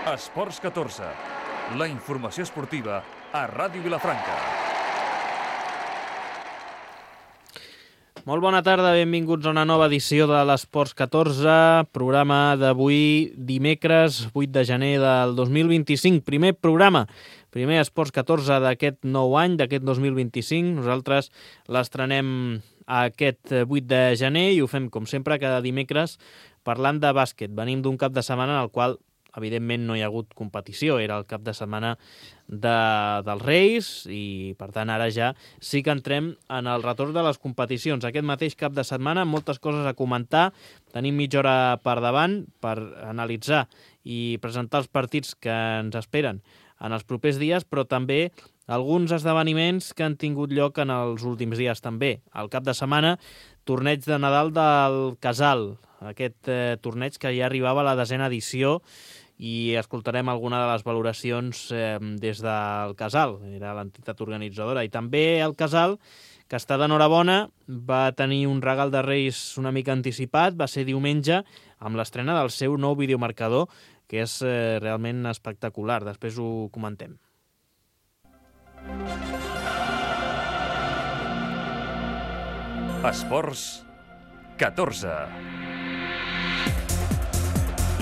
Esports 14, la informació esportiva a Ràdio Vilafranca. Molt bona tarda, benvinguts a una nova edició de l'Esports 14, programa d'avui dimecres 8 de gener del 2025, primer programa, primer Esports 14 d'aquest nou any, d'aquest 2025. Nosaltres l'estrenem aquest 8 de gener i ho fem, com sempre, cada dimecres parlant de bàsquet. Venim d'un cap de setmana en el qual, evidentment, no hi ha hagut competició, era el cap de setmana dels Reis i, per tant, ara ja sí que entrem en el retorn de les competicions. Aquest mateix cap de setmana, moltes coses a comentar. Tenim mitja hora per davant per analitzar i presentar els partits que ens esperen en els propers dies, però també alguns esdeveniments que han tingut lloc en els últims dies també. Al cap de setmana, torneig de Nadal del Casal, aquest torneig que ja arribava a la 10a edició, i escoltarem alguna de les valoracions des del Casal, era l'entitat organitzadora, i també el Casal, que està d'enhorabona, va tenir un regal de Reis una mica anticipat, va ser diumenge, amb l'estrena del seu nou videomarcador, que és realment espectacular. Després ho comentem. Esports 14.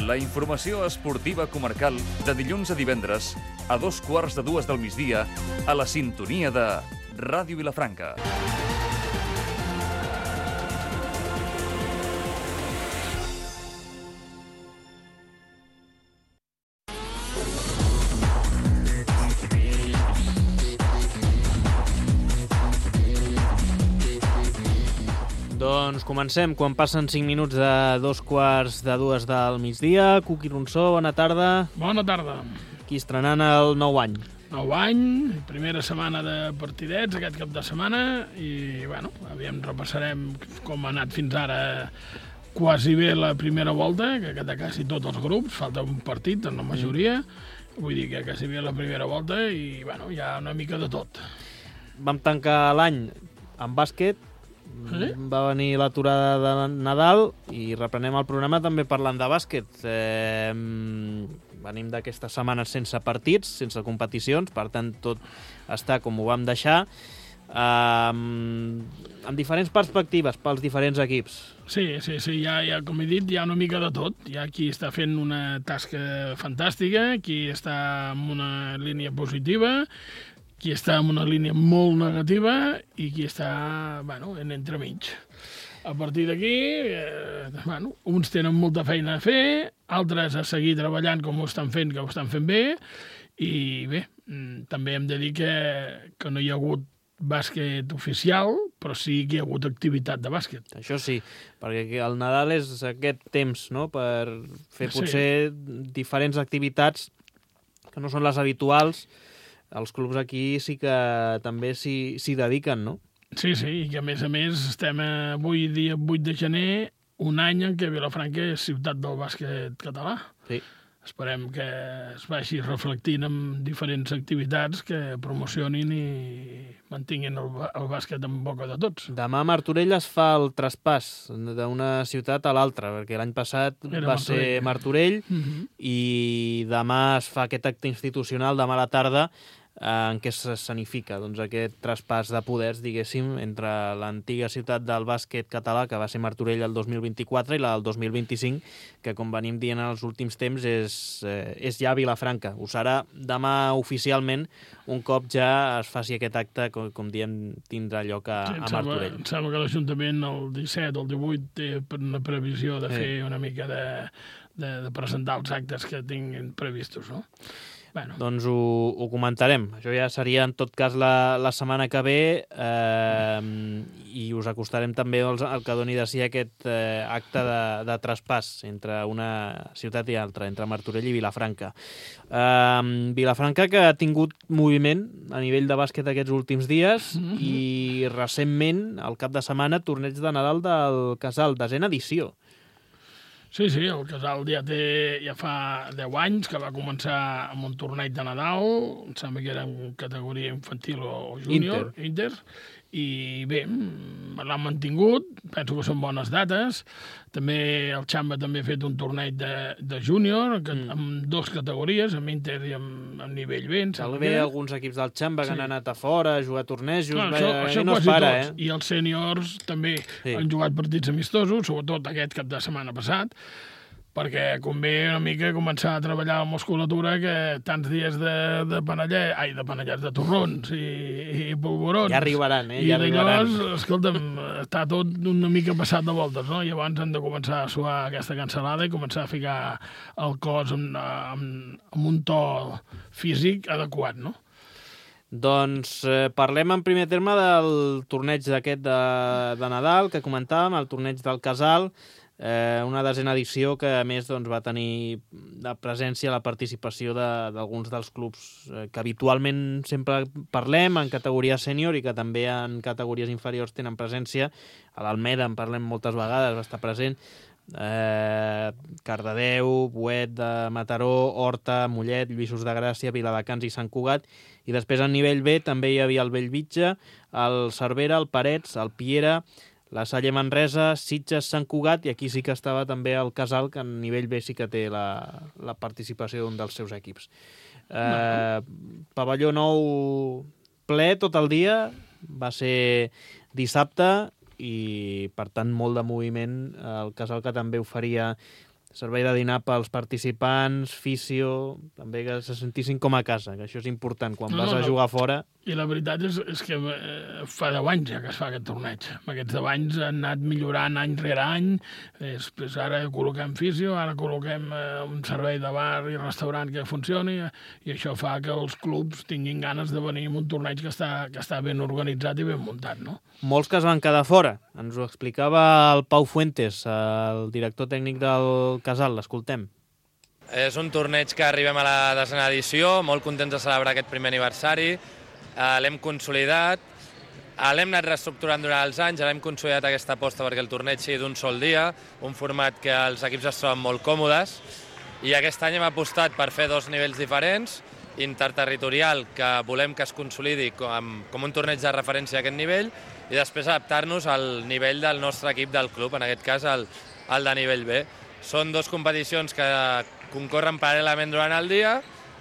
La informació esportiva comarcal de dilluns a divendres a 2:15 del migdia a la sintonia de Ràdio Vilafranca. Doncs comencem, quan passen 5 minuts de 2:15 del migdia. Cuqui Ronsó, bona tarda. Bona tarda. Aquí estrenant el nou any. Nou any, primera setmana de partidets aquest cap de setmana i, bueno, aviam, repassarem com ha anat fins ara quasi bé la primera volta, que de quasi tots els grups, falta un partit en la majoria, vull dir que quasi bé la primera volta i, bueno, hi ha una mica de tot. Vam tancar l'any amb bàsquet, Sí? va venir l'aturada de Nadal i reprenem el programa també parlant de bàsquet. Venim d'aquestes setmanes sense partits, sense competicions, per tant tot està com ho vam deixar, amb diferents perspectives pels diferents equips. Sí, ja, com he dit, hi ha una mica de tot. Hi ha qui està fent una tasca fantàstica, qui està en una línia positiva, qui està en una línia molt negativa i qui està, bueno, en entremig. A partir d'aquí, bueno, uns tenen molta feina a fer, altres a seguir treballant com ho estan fent, que ho estan fent bé, i bé, també hem de dir que no hi ha hagut bàsquet oficial, però sí que hi ha hagut activitat de bàsquet. Això sí, perquè el Nadal és aquest temps, no?, per fer potser diferents activitats que no són les habituals. Els clubs aquí sí que també s'hi dediquen, no? Sí, i que a més estem avui dia 8 de gener, un any en què Vilafranca és ciutat del bàsquet català. Sí. Esperem que es vagi reflectint en diferents activitats que promocionin i mantinguin el bàsquet en boca de tots. Demà a Martorell es fa el traspàs d'una ciutat a l'altra, perquè l'any passat va ser Martorell i demà es fa aquest acte institucional, demà a la tarda, en què s'escenifica aquest traspàs de poders, diguéssim, entre l'antiga ciutat del bàsquet català, que va ser Martorell el 2024, i la del 2025, que, com venim dient en els últims temps, és ja Vilafranca. Ho serà demà oficialment, un cop ja es faci aquest acte, com diem, tindrà lloc a Martorell. Em sembla que l'Ajuntament el 17 o el 18 té una previsió de fer una mica de presentar els actes que tinguin previstos, no? Bueno. Doncs ho comentarem. Això ja seria, en tot cas, la setmana que ve i us acostarem també el que doni de si aquest acte de traspàs entre una ciutat i altra, entre Martorell i Vilafranca. Vilafranca, que ha tingut moviment a nivell de bàsquet aquests últims dies i recentment, al cap de setmana, torneig de Nadal del Casal, 10a edició. Sí, el Casal ja fa 10 anys que va començar amb un torneig de Nadal, em sembla que era en categoria infantil o júnior, Inter, i bé, l'han mantingut, penso que són bones dates. També el Xamba també ha fet un torneig de júnior, amb 2 categories, amb Inter i amb nivell B. També alguns equips del Xamba que han anat a fora a jugar tornejos, això no es quasi para, tots. I els sèniors també han jugat partits amistosos, sobretot aquest cap de setmana passat, perquè convé una mica començar a treballar la musculatura, que tants dies de panellets, de torrons i polvorons. Ja arribaran, I llavors, escolta'm, està tot una mica passat de voltes, no? I llavors han de començar a suar aquesta cansalada i començar a ficar el cos amb un to físic adequat, no? Doncs parlem en primer terme del torneig d'aquest de Nadal que comentàvem, el torneig del Casal, una 10ª edició que a més va tenir la presència, la participació d'alguns dels clubs que habitualment sempre parlem en categoria sènior i que també en categories inferiors tenen presència. A l'Almeda en parlem moltes vegades, va estar present, Cardedeu, Boet de Mataró, Horta, Mollet, Lluïsos de Gràcia, Viladecans i Sant Cugat. I després a nivell B també hi havia el Bellvitge, el Cervera, el Parets, el Piera, la Salle Manresa, Sitges, Sant Cugat, i aquí sí que estava també el Casal, que a nivell B sí que té la participació d'un dels seus equips. Pavelló Nou ple tot el dia, va ser dissabte, i per tant molt de moviment. El Casal, que també oferia servei de dinar pels participants, fisio, també que se sentissin com a casa, que això és important quan vas a jugar fora. I la veritat és que fa 10 anys ja que es fa aquest torneig. Aquests 10 anys han anat millorant any rere any. Després ara col·loquem fisio, ara col·loquem un servei de bar i restaurant que funcioni, i això fa que els clubs tinguin ganes de venir a un torneig que està ben organitzat i ben muntat, no? Molts que es van quedar fora. Ens ho explicava el Pau Fuentes, el director tècnic del Casal. L'escoltem. És un torneig que arribem a la 10ª edició, molt contents de celebrar aquest primer aniversari. L'hem consolidat, l'hem anat reestructurant durant els anys, l'hem consolidat aquesta aposta perquè el torneig sigui d'un sol dia, un format que els equips es troben molt còmodes, i aquest any hem apostat per fer 2 nivells diferents, interterritorial, que volem que es consolidi com un torneig de referència a aquest nivell, i després adaptar-nos al nivell del nostre equip del club, en aquest cas el de nivell B. Són 2 competicions que concorren paral·lelament durant el dia,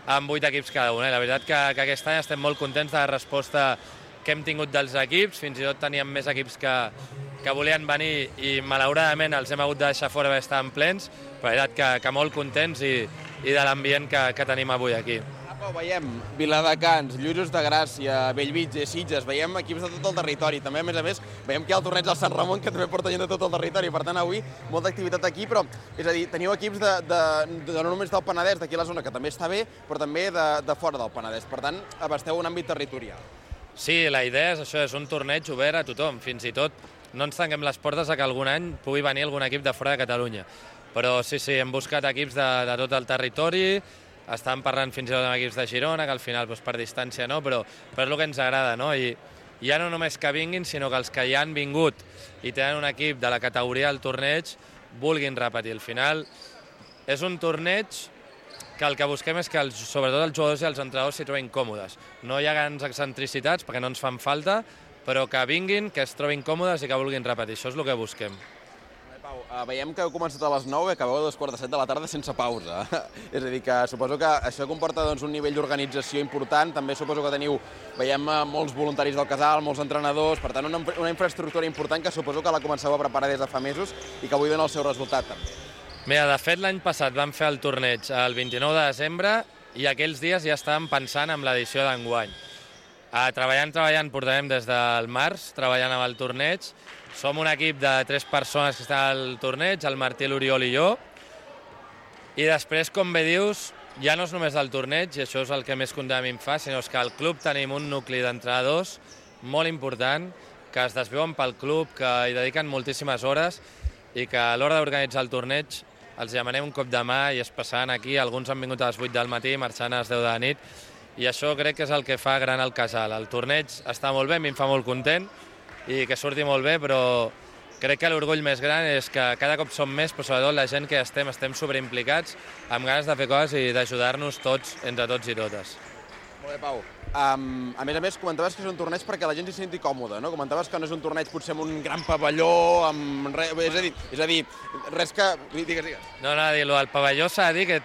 amb 8 equips cada una. La veritat que aquest any estem molt contents de la resposta que hem tingut dels equips. Fins i tot teníem més equips que volien venir i malauradament els hem hagut de deixar fora perquè estaven plens, però la veritat que molt contents i de l'ambient que tenim avui aquí. Veiem Viladecans, Lluïsos de Gràcia, Bellvitge, Sitges, veiem equips de tot el territori. També, a més, veiem que hi ha el torneig del Sant Ramon, que també porta gent de tot el territori. Per tant, avui, molta activitat aquí, però, és a dir, teniu equips no només del Penedès, d'aquí a la zona, que també està bé, però també de fora del Penedès. Per tant, abasteu un àmbit territorial. Sí, la idea és això, és un torneig obert a tothom. Fins i tot no ens tanquem les portes a que algun any pugui venir algun equip de fora de Catalunya. Però sí, hem buscat equips de tot el territori. Estàvem parlant fins i tot amb equips de Girona, que al final per distància no, però és el que ens agrada, no? I ja no només que vinguin, sinó que els que ja han vingut i tenen un equip de la categoria del torneig vulguin repetir. Al final és un torneig que el que busquem és que sobretot els jugadors i els entrenadors s'hi trobin còmodes. No hi ha grans excentricitats perquè no ens fan falta, però que vinguin, que es trobin còmodes i que vulguin repetir. Això és el que busquem. Pau, veiem que heu començat a les 9 i acabeu a 7:15 de la tarda sense pausa. És a dir, que suposo que això comporta un nivell d'organització important. També suposo que veiem molts voluntaris del Casal, molts entrenadors, per tant una infraestructura important que suposo que la comenceu a preparar des de fa mesos i que avui dona el seu resultat també. Mira, de fet l'any passat vam fer el torneig el 29 de desembre i aquells dies ja estàvem pensant en l'edició d'enguany. Treballant, portarem des del març, treballant amb el torneig. Som un equip de 3 persones que estan al torneig, el Martí, l'Oriol i jo. I després, com bé dius, ja no és només el torneig, i això és el que més content a mi em fa, sinó que al club tenim un nucli d'entrenadors molt important, que es desviuen pel club, que hi dediquen moltíssimes hores i que a l'hora d'organitzar el torneig els demanem un cop de mà i es passaran aquí. Alguns han vingut a les 8 del matí, marxant a les 10 de la nit, i això crec que és el que fa gran el Casal. El torneig està molt bé, a mi em fa molt content, i que surti molt bé, però crec que l'orgull més gran és que cada cop som més, però sobretot la gent que estem sobreimplicats, amb ganes de fer coses i d'ajudar-nos tots, entre tots i totes. Molt bé, Pau. a més, comentaves que és un torneig perquè la gent s'hi senti còmoda, no? Comentaves que no és un torneig potser amb un gran pavelló, és a dir, res que... Digues. No, el pavelló s'ha de dir que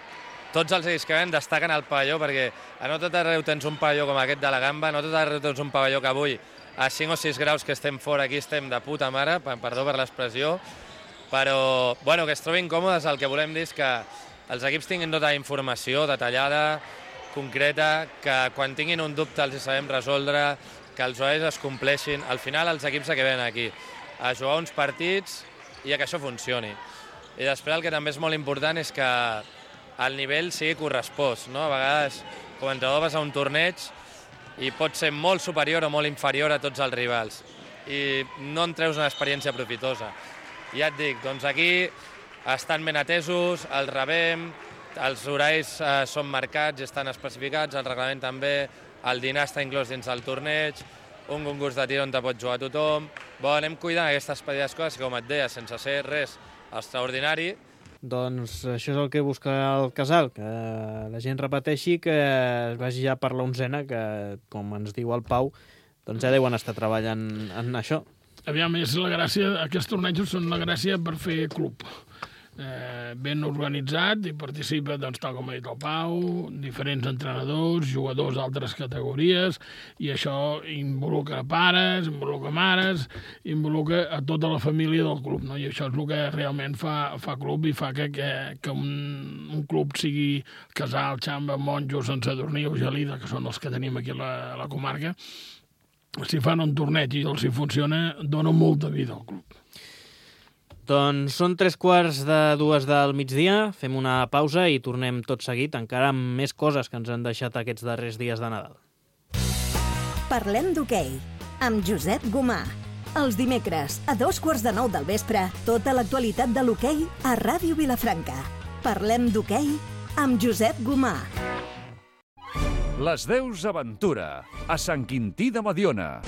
tots els equips que ven destaquen al pavelló, perquè no tot arreu tens un pavelló com aquest de la Gamba, no tot arreu tens un pavelló que avui, a 5 o 6 graus que estem fora, aquí estem de puta mare, perdó per l'expressió, però que es trobin còmodes, el que volem dir és que els equips tinguin tota la informació detallada, concreta, que quan tinguin un dubte els hi sabem resoldre, que els horaris es compleixin. Al final els equips que venen aquí a jugar uns partits i a que això funcioni. I després el que també és molt important és que el nivell sigui correspost, no? A vegades, com a entrenador, vas a un torneig i pot ser molt superior o molt inferior a tots els rivals i no en treus una experiència profitosa. Ja et dic, doncs aquí estan ben atesos, els rebem, els horaris són marcats i estan especificats, el reglament també, el dinar està inclòs dins del torneig, un concurs de tir on te pot jugar tothom. Anem cuidant aquestes petites coses que, com et deia, sense ser res extraordinari. Doncs això és el que busca el casal, que la gent repeteixi, que es vagi ja per l'11ª, que, com ens diu el Pau, doncs ja deuen estar treballant en això. Aviam, és la gràcia, aquests tornejos són la gràcia per fer club. Ben organitzat i participa, doncs, tal com ha dit el Pau, diferents entrenadors, jugadors d'altres categories, i això involucra pares, involucra mares, involucra a tota la família del club, no? I això és el que realment fa club i fa que un club sigui Casal, Xamba, Monjo, Sant Sadurní o Gelida, que són els que tenim aquí a la comarca. Si fan un torneig i els hi funciona, dona molta vida al club. Doncs són 3:45 del migdia, fem una pausa i tornem tot seguit, encara amb més coses que ens han deixat aquests darrers dies de Nadal. Parlem d'hoquei, amb Josep Gomà. Els dimecres, a 8:45 del vespre, tota l'actualitat de l'hoquei a Ràdio Vilafranca. Parlem d'hoquei amb Josep Gomà. Les Deus Aventura, a Sant Quintí de Mediona.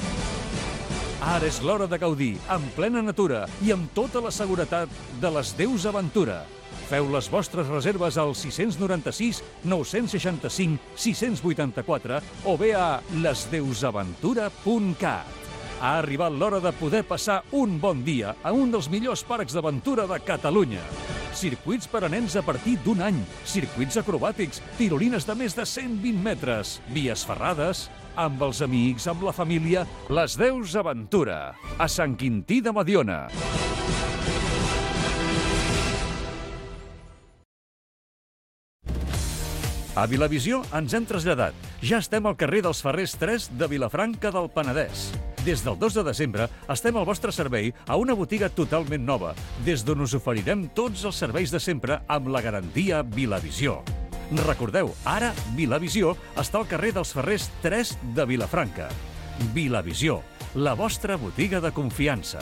Ara és l'hora de gaudir, en plena natura i amb tota la seguretat de les Deus Aventura. Feu les vostres reserves al 696 965 684 o bé a lesdeusaventura.cat. Ha arribat l'hora de poder passar un bon dia a un dels millors parcs d'aventura de Catalunya. Circuits per a nens a partir d'1 any, circuits acrobàtics, tirolines de més de 120 metres, vies ferrades, amb els amics, amb la família, les Deus Aventura, a Sant Quintí de Mediona. A Vilavisió ens hem traslladat. Ja estem al carrer dels Ferrers 3 de Vilafranca del Penedès. Des del 2 de desembre estem al vostre servei a una botiga totalment nova, des d'on us oferirem tots els serveis de sempre amb la garantia Vilavisió. Recordeu, ara Vilavisió està al carrer dels Ferrers 3 de Vilafranca. Vilavisió, la vostra botiga de confiança.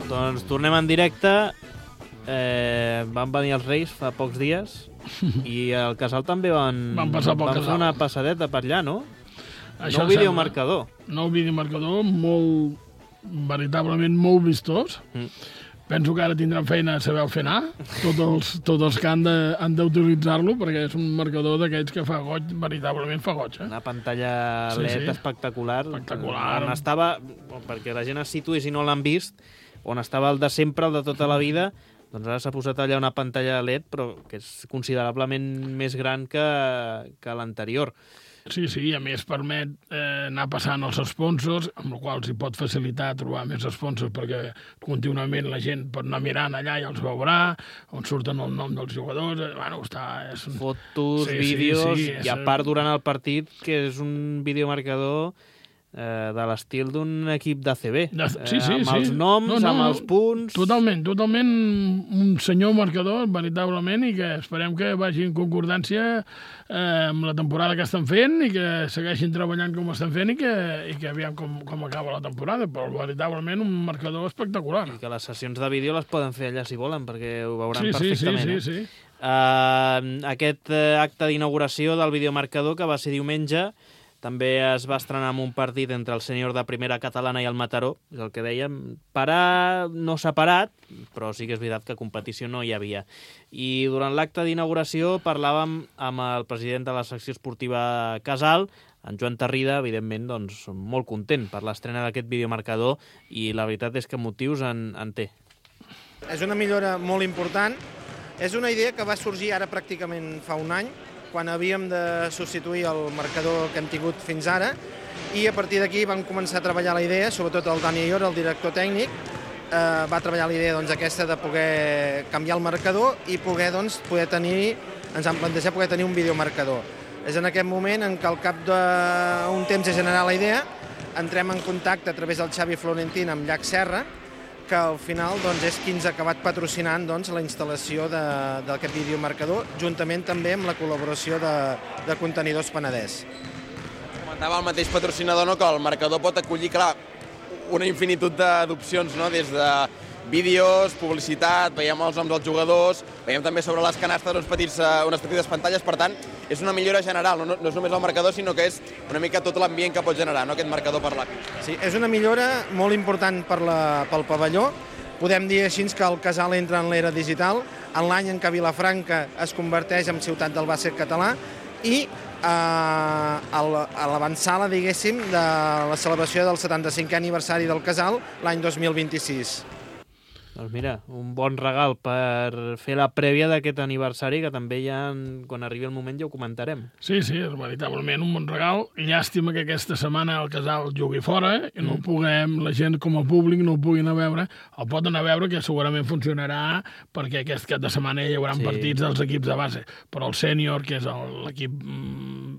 Doncs tornem en directe. Van venir els Reis fa pocs dies i al Casal també van passar pel Casal. Fer una passadeta per allà, no? Això nou videomarcador. Nou videomarcador, veritablement molt vistós. Penso que ara tindran feina a saber fer anar, tots els que han d'utilitzar-lo, perquè és un marcador d'aquells que fa goig, veritablement fa goig. Una pantalla LED espectacular. Espectacular. On estava, perquè la gent es situï si no l'han vist, on estava el de sempre, el de tota la vida, doncs ara s'ha posat allà una pantalla LED, però que és considerablement més gran que l'anterior. Sí, a més permet anar passant els sponsors, amb la qual cosa s'hi pot facilitar trobar més sponsors perquè contínuament la gent pot anar mirant allà i els veurà, on surten el nom dels jugadors. Fotos, vídeos, i a part durant el partit, que és un videomarcador de l'estil d'un equip d'ACB. Amb els noms, amb els punts... Totalment un senyor marcador, veritablement, i que esperem que vagi en concordància amb la temporada que estan fent i que segueixin treballant com estan fent i que aviam com acaba la temporada, però veritablement un marcador espectacular. I que les sessions de vídeo les poden fer allà si volen, perquè ho veuran perfectament. Sí. Aquest acte d'inauguració del videomarcador, que va ser diumenge, també es va estrenar amb un partit entre el sènior de primera catalana i el Mataró, és el que dèiem, parar no s'ha parat, però sí que és veritat que competició no hi havia. I durant l'acte d'inauguració parlàvem amb el president de la secció esportiva Casal, en Joan Tarrida, evidentment, doncs, molt content per l'estrena d'aquest videomarcador i la veritat és que motius en té. És una millora molt important. És una idea que va sorgir ara pràcticament fa un any, quan havíem de substituir el marcador que hem tingut fins ara, i a partir d'aquí vam començar a treballar la idea, sobretot el Dani Ior, el director tècnic, va treballar la idea aquesta de poder canviar el marcador i ens han plantejat poder tenir un videomarcador. És en aquest moment en què al cap d'un temps de generar la idea entrem en contacte a través del Xavi Florentín amb Llac Serra, que al final és qui ens ha acabat patrocinant la instal·lació d'aquest videomarcador, juntament també amb la col·laboració de Contenidors Penedès. Comentava el mateix patrocinador que el marcador pot acollir, clar, una infinitud d'opcions, no? Des de vídeos, publicitat, veiem els noms dels jugadors, veiem també sobre les canastes unes petites pantalles, per tant, és una millora general, no és només el marcador, sinó que és una mica tot l'ambient que pot generar, no? Aquest marcador per l'ACI. Sí, és una millora molt important pel pavelló. Podem dir així que el Casal entra en l'era digital, en l'any en què Vilafranca es converteix en ciutat del bàsquet català i a l'avançada, diguéssim, de la celebració del 75è aniversari del Casal l'any 2026. Doncs mira, un bon regal per fer la prèvia d'aquest aniversari, que també ja, quan arribi el moment, ja ho comentarem. Sí, és veritablement un bon regal. Llàstima que aquesta setmana el Casal jugui fora i no puguem, la gent com a públic no ho puguin anar a veure. El pot anar a veure, que segurament funcionarà, perquè aquest cap de setmana hi haurà partits dels equips de base. Però el sènior, que és l'equip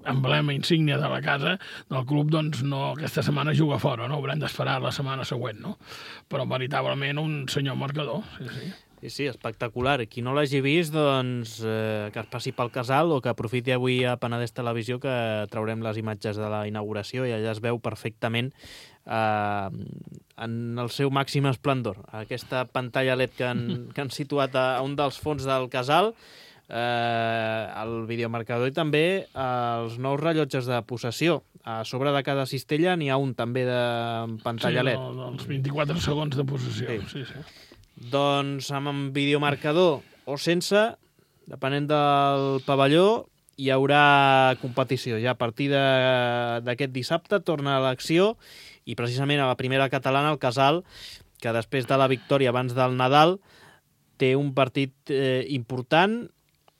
emblema insígnia de la casa, del club, doncs no, aquesta setmana juga fora, no? Haurem d'esperar la setmana següent, no? Però veritablement un senyor marcador, sí. Sí, espectacular. Qui no l'hagi vist, doncs que es passi pel Casal o que aprofiti avui a Penedès Televisió, que traurem les imatges de la inauguració i allà es veu perfectament en el seu màxim esplendor. Aquesta pantalla LED que han situat a un dels fons del Casal, el videomarcador i també els nous rellotges de possessió. A sobre de cada cistella n'hi ha un també de pantalla LED. Sí, els 24 segons de possessió. Sí. Doncs amb videomarcador o sense, depenent del pavelló, hi haurà competició. Ja a partir d'aquest dissabte torna a l'acció i precisament a la primera catalana, el Casal, que després de la victòria abans del Nadal té un partit important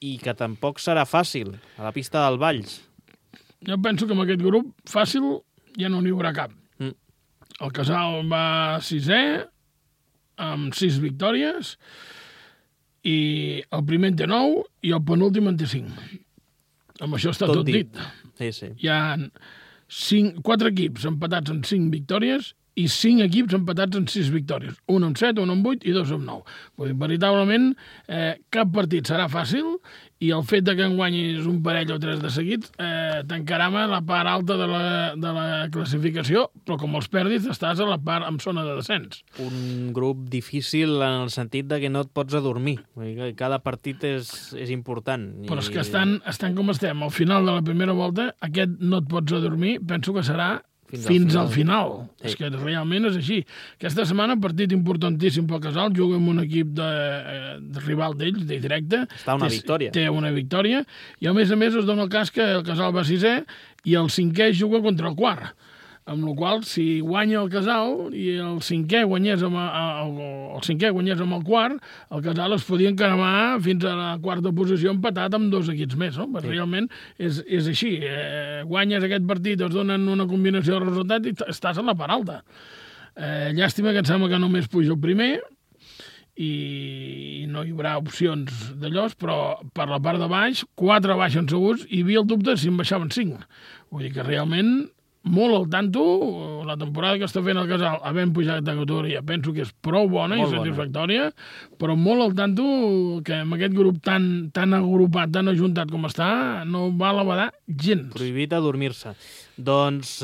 i que tampoc serà fàcil, a la pista del Valls. Jo penso que amb aquest grup fàcil ja no n'hi haurà cap. El Casal va 6è, amb 6 victòries, i el primer en té 9 i el penúltim en té 5. Amb això està tot dit. Sí. Hi ha 4 equips empatats amb 5 victòries i 5 equips empatats amb 6 victòries. Un amb 7, un amb 8 i 2 amb 9. Vull dir, veritablement, cap partit serà fàcil i el fet que en guanyis un parell o 3 de seguits tancarà la part alta de la classificació, però com els perdis estàs a la part en zona de descens. Un grup difícil en el sentit de que no et pots adormir. Cada partit és important. Però és que estan com estem. Al final de la primera volta, aquest no et pots adormir, penso que serà fins al final. Sí. És que realment és així. Aquesta setmana, partit importantíssim pel Casal, juga amb un equip de rival d'ells, de directe. Està una victòria. Té una victòria, i a més es dona el cas que el Casal va 6è i el 5è juga contra el 4. Amb la qual cosa, si guanya el Casal i el 5è guanyés amb el 4, el Casal es podia encaramar fins a la 4a posició empatat amb 2 equips més, no? Però realment és així. Guanyes aquest partit, es donen una combinació de resultats i estàs a la part alta. Llàstima que em sembla que només puja el primer i no hi haurà opcions d'allòs, però per la part de baix, 4 baixen segurs i hi havia el dubte si en baixaven 5. Vull dir que realment molt al tanto, la temporada que està fent el Casal, havent pujat de categoria, penso que és prou bona i satisfactòria, però molt al tanto que amb aquest grup tan agrupat, tan ajuntat com està, no va a badar gens. Prohibit adormir-se. Doncs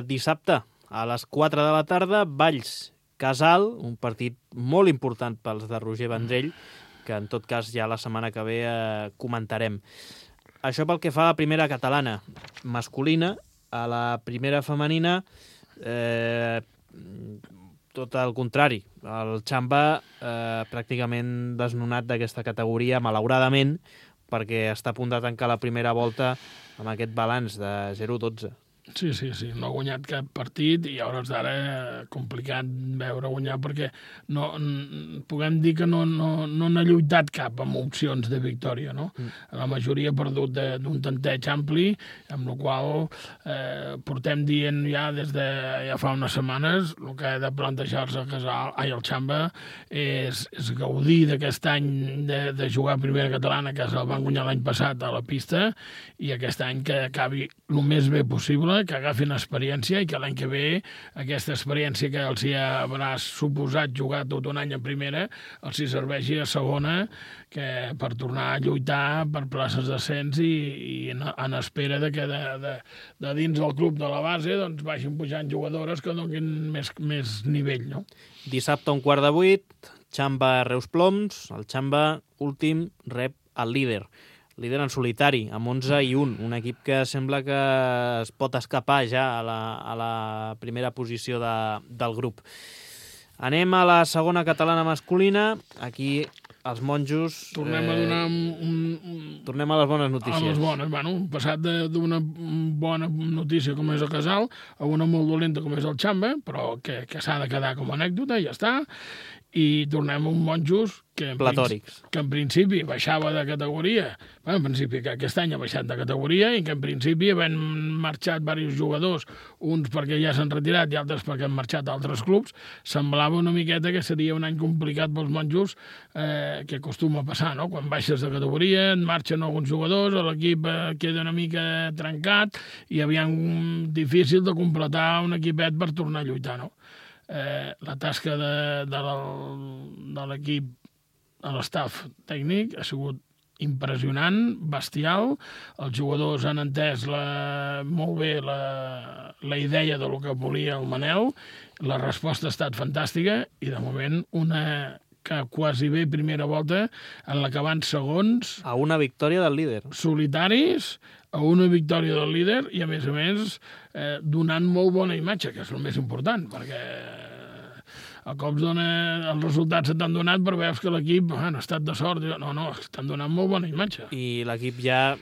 dissabte, a les 4 de la tarda, Valls Casal, un partit molt important pels de Roger Vendrell, que en tot cas ja la setmana que ve comentarem. Això pel que fa a la primera catalana masculina, a la primera femenina, tot el contrari. El Xamba pràcticament desnonat d'aquesta categoria, malauradament, perquè està a punt de tancar la primera volta amb aquest balanç de 0-12. Sí, no ha guanyat cap partit i a hores d'ara complicat veure guanyar perquè puguem dir que no n'ha lluitat cap amb opcions de victòria, no? La majoria ha perdut d'un tanteig ampli, amb la qual portem dient ja des de ja fa unes setmanes el que ha de plantejar-se el Xamba és gaudir d'aquest any de jugar a primera catalana, que se'l van guanyar l'any passat a la pista, i aquest any que acabi el més bé possible, que agafin experiència i que l'any que ve aquesta experiència que els haurà suposat jugar tot un any a primera els hi serveixi a segona per tornar a lluitar per places d'ascens i en espera que de dins del club de la base doncs vagin pujant jugadores que donin més nivell, no? Dissabte a 7:15, Xamba Reus Ploms. El Xamba últim rep el líder en solitari, amb 11-1, un equip que sembla que es pot escapar ja a la primera posició del grup. Anem a la segona catalana masculina. Aquí els monjos... Tornem a donar tornem a les bones notícies. A les bones, bueno, passat d'una bona notícia com és el Casal a una molt dolenta com és el Xamba, però que s'ha de quedar com a anècdota, ja està. I tornem a un monjos que en principi baixava de categoria, en principi que aquest any ha baixat de categoria i que en principi havent marxat diversos jugadors, uns perquè ja s'han retirat i altres perquè han marxat a altres clubs, semblava una miqueta que seria un any complicat pels monjos, que acostuma a passar, no? Quan baixes de categoria, en marxen alguns jugadors, l'equip queda una mica trencat i aviam difícil de completar un equipet per tornar a lluitar, no? La tasca de l'equip a l'estaf tècnic ha sigut impressionant, bestial. Els jugadors han entès molt bé la idea de lo que volia el Manel. La resposta ha estat fantàstica i, de moment, una que quasi bé primera volta en la que van segons... A una victòria del líder. Solitaris, a una victòria del líder i, a més, donant molt bona imatge, que és el més important, perquè a cops els resultats se t'han donat però veus que l'equip ha estat de sort. No, estan donant molt bona imatge. I l'equip ja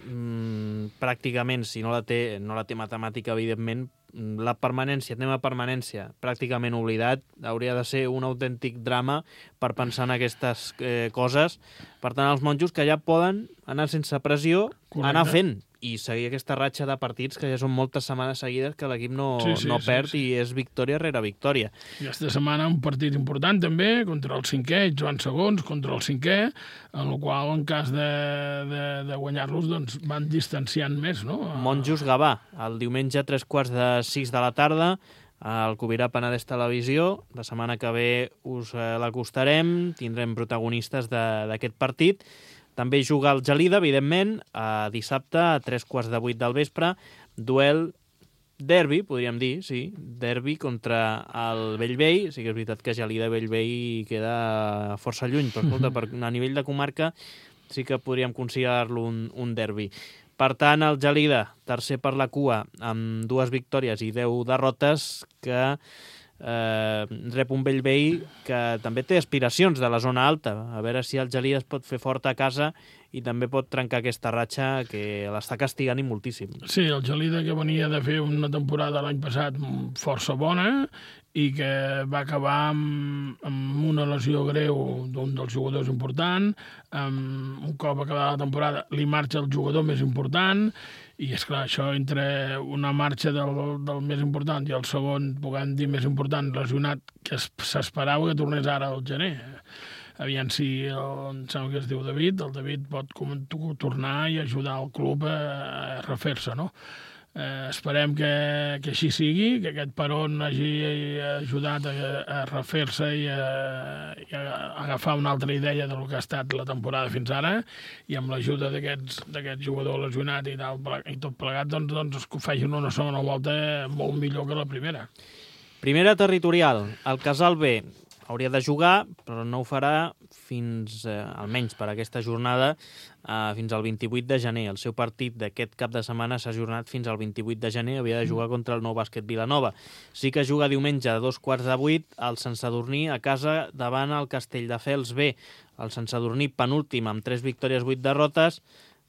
pràcticament, si no la té matemàtica, evidentment, la permanència, tema permanència, pràcticament oblidat, hauria de ser un autèntic drama per pensar en aquestes coses. Per tant, els monjos que ja poden anar sense pressió, anar fent i seguir aquesta ratxa de partits que ja són moltes setmanes seguides que l'equip no perd i és victòria rere victòria. I aquesta setmana un partit important també contra el cinquè, ells van segons contra el cinquè, en el qual en cas de guanyar-los doncs van distanciant més, no? Monjos Gavà, el diumenge a 3:45 de la tarda, al Cubirà Penedès Televisió. La setmana que ve us l'acostarem, tindrem protagonistes d'aquest partit. També juga el Gelida, evidentment, dissabte a 7:45 del vespre. Duel derbi, podríem dir, sí, derbi contra el Bellvei. Sí que és veritat que Gelida i Bellvei queda força lluny, però escolta, a nivell de comarca sí que podríem considerar-lo un derbi. Per tant, el Gelida, tercer per la cua, amb 2 victòries i 10 derrotes, que rep un Bellvei que també té aspiracions de la zona alta. A veure si el Gelida es pot fer fort a casa i també pot trencar aquesta ratxa que l'està castigant i moltíssim. Sí, el Gelida que venia de fer una temporada l'any passat força bona i que va acabar amb una lesió greu d'un dels jugadors important. Un cop acabada la temporada li marxa el jugador més important i, esclar, això entre una marxa del més important i el segon, puguem dir, més important, lesionat, que s'esperava que tornés ara al gener. Aviam si em sembla que es diu David, el David pot tornar i ajudar el club a refer-se, no? Esperem que així sigui, que aquest peron hagi ajudat a refer-se i a agafar una altra idea del que ha estat la temporada fins ara, i amb l'ajuda d'aquest jugador lesionat i tot plegat, doncs que facin una segona volta molt millor que la primera. Primera territorial, el Casal B. hauria de jugar, però no ho farà fins, almenys per aquesta jornada, fins al 28 de gener. El seu partit d'aquest cap de setmana s'ha ajornat fins al 28 de gener, havia de jugar contra el Nou Bàsquet Vilanova. Sí que juga diumenge a 2:15 al Sant Sadurní a casa davant el Castelldefels B. El Sant Sadurní penúltim amb 3 victòries, 8 derrotes,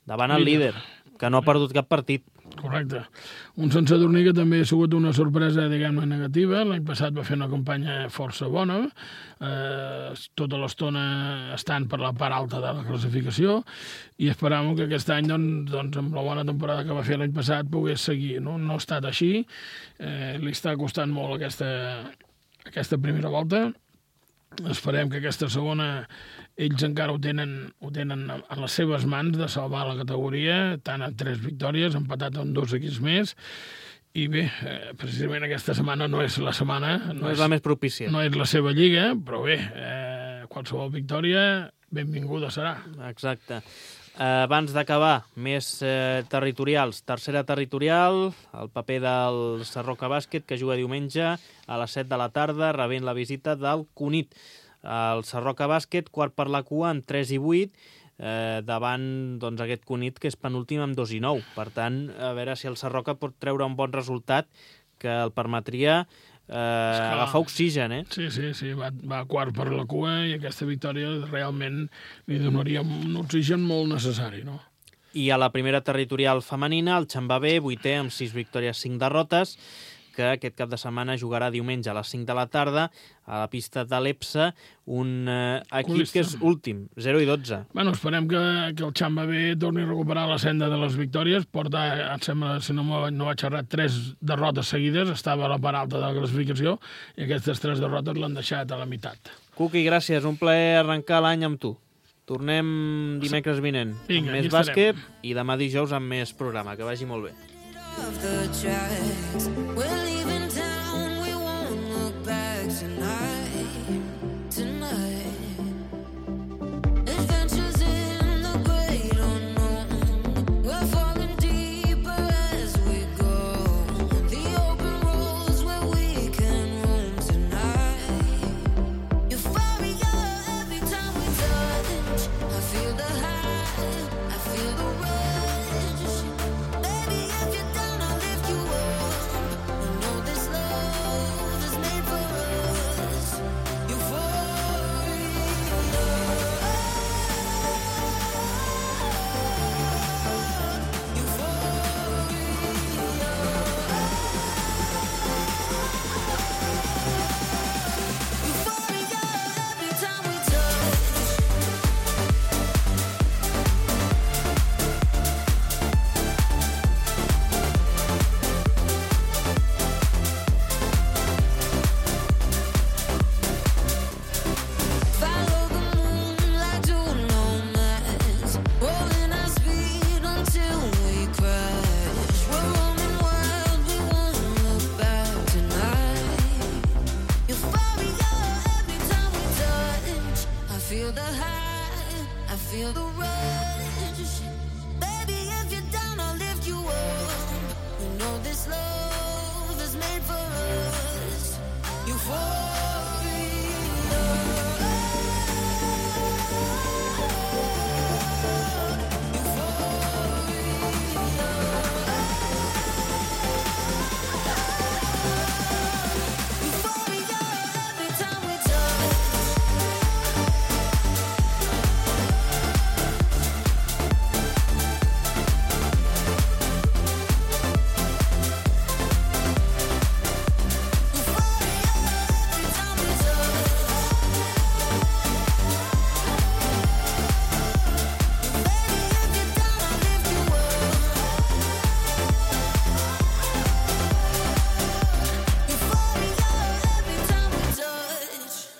davant el líder, que no ha perdut cap partit. Correcte. Un Sant Sadurní que també ha sigut una sorpresa, diguem-ne, negativa. L'any passat va fer una campanya força bona, tota l'estona estant per la part alta de la classificació, i esperàvem que aquest any, doncs, amb la bona temporada que va fer l'any passat, pogués seguir. No ha estat així. Li està costant molt aquesta primera volta. Esperem que aquesta segona ells encara ho tenen en les seves mans de salvar la categoria, tant amb 3 victòries, empatat amb 2 equips més, i bé, precisament aquesta setmana no és la setmana... No és la més propícia. No és la seva lliga, però bé, qualsevol victòria benvinguda serà. Exacte. Abans d'acabar, més territorials. Tercera territorial, el paper del Sarroca Bàsquet, que juga diumenge a les 7 de la tarda, rebent la visita del Cunit. El Sarroca Bàsquet, quart per la cua, amb 3 i 8, davant doncs, aquest Cunit, que és penúltim amb 2 i 9. Per tant, a veure si el Sarroca pot treure un bon resultat que el permetria agafar oxigen, Sí, va quart per la cua i aquesta victòria realment li donaria un oxigen molt necessari, no? I a la primera territorial femenina, el Xambà B, 8è amb 6 victòries, 5 derrotes, que aquest cap de setmana jugarà diumenge a les 5 de la tarda a la pista de l'EPSA, un equip que és últim, 0 i 12. Bueno, esperem que el Xambà B torni a recuperar la senda de les victòries. Porta, em sembla, si no vaig errar, 3 derrotes seguides, estava a la part alta de la classificació, i aquestes 3 derrotes l'han deixat a la meitat. Cuqui, gràcies, un plaer arrencar l'any amb tu. Tornem dimecres vinent amb més bàsquet i demà dijous amb més programa. Que vagi molt bé. Of the tracks, we're leaving town, we won't look back tonight. Adventures in the great unknown, we're falling deeper as we go. The open roads where we can roam tonight. Euphoria every time we touch, I feel the high, I feel the rush. Baby, if you're feel the high, I feel the rush.